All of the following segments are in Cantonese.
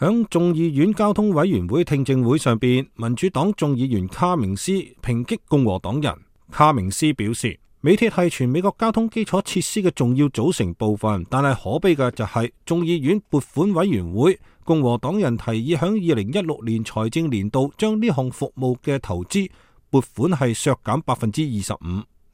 響眾議院交通委員會聽證會上邊，民主黨眾議員卡明斯抨擊共和黨人。卡明斯表示，美鐵係全美國交通基礎設施嘅重要組成部分，但係可悲嘅就係眾議院撥款委員會共和黨人提議響2016年財政年度將呢項服務嘅投資撥款係削減25%。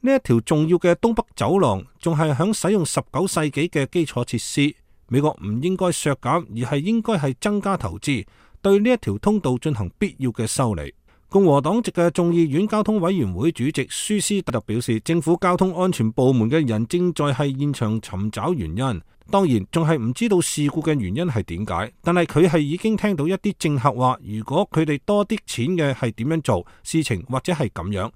呢一條重要嘅東北走廊仲係響使用19世紀嘅基礎設施。美國唔應該削減，而係應該係增加投資，對呢一條通道進行必要嘅修理。共和黨籍嘅眾議院交通委員會主席舒斯特表示，政府交通安全部門嘅人正在係現場尋找原因，當然仲係唔知道事故嘅原因係點解，但係佢係已經聽到一啲政客話，如果佢哋多啲錢嘅係點樣做事情，或者係咁樣，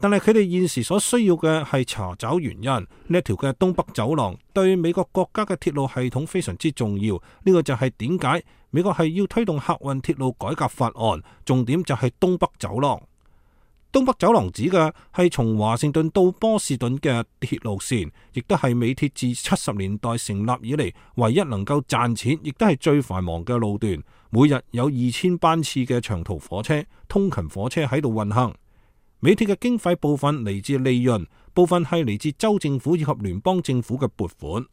但係佢哋現時所需要嘅係查找原因。呢一條嘅東北走廊對美國國家嘅鐵路系統非常之重要。呢個就係點解美國係要推動客運鐵路改革法案，重點就係東北走廊。東北走廊指嘅係從華盛頓到波士頓嘅鐵路線，亦都係美鐵自70年代成立以嚟唯一能夠賺錢，亦都係最繁忙嘅路段。每日有2000班次嘅長途火車、通勤火車喺度運行。美鐵嘅經費部分嚟自利潤，部分係嚟自州政府以及聯邦政府嘅撥款。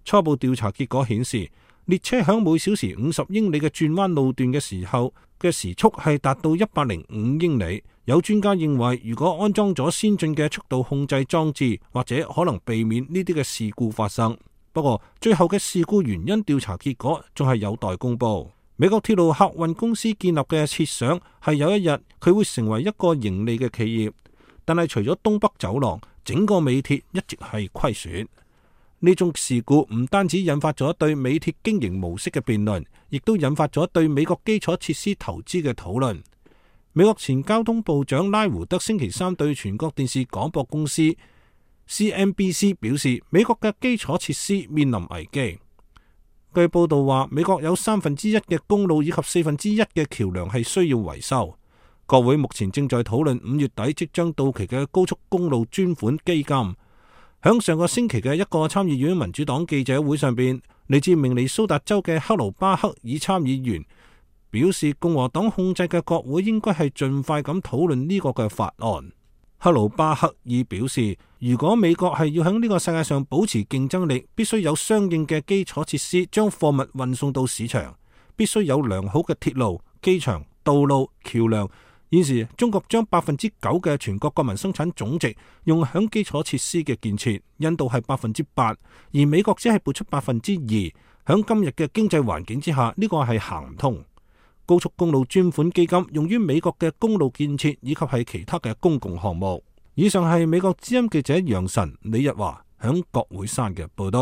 初步調查結果顯示，列車響每小時50英里嘅轉彎路段嘅時候嘅時速係達到105英里。有專家認為，如果安裝咗先進嘅速度控制裝置，或者可能避免呢啲嘅事故發生。不過，最後嘅事故原因調查結果仲係有待公布。美國鐵路客運公司建立嘅設想係有一日佢會成為一個盈利嘅企業，但係除咗東北走廊，整個美鐵一直係虧損。呢種事故唔單止引發咗對美鐵經營模式嘅辯論，亦都引發咗對美國基礎設施投資嘅討論。美國前交通部長拉胡德星期三對全國電視廣播公司 CNBC 表示，美國嘅基礎設施面臨危機。據報道話，美國有1/3嘅公路以及1/4嘅橋樑係需要維修。國會目前正在討論5月底即將到期嘅高速公路專款基金。響上個星期嘅一個參議院民主黨記者會上邊，嚟自明尼蘇達州嘅克魯巴克爾參議員表示，共和黨控制嘅國會應該係盡快咁討論呢個嘅法案。克魯巴克爾表示，如果美國係要喺呢個世界上保持競爭力，必須有相應嘅基礎設施將貨物運送到市場，必須有良好嘅鐵路、機場、道路、橋樑。現時中國將9%嘅全國國民生產總值用響基礎設施嘅建設，印度係8%，而美國只係撥出2%。響今日嘅經濟環境之下，呢個係行唔通。高速公路專款基金用於美國嘅公路建設以及係其他嘅公共項目。以上係美國之音記者楊晨、李日華響國會山嘅報道。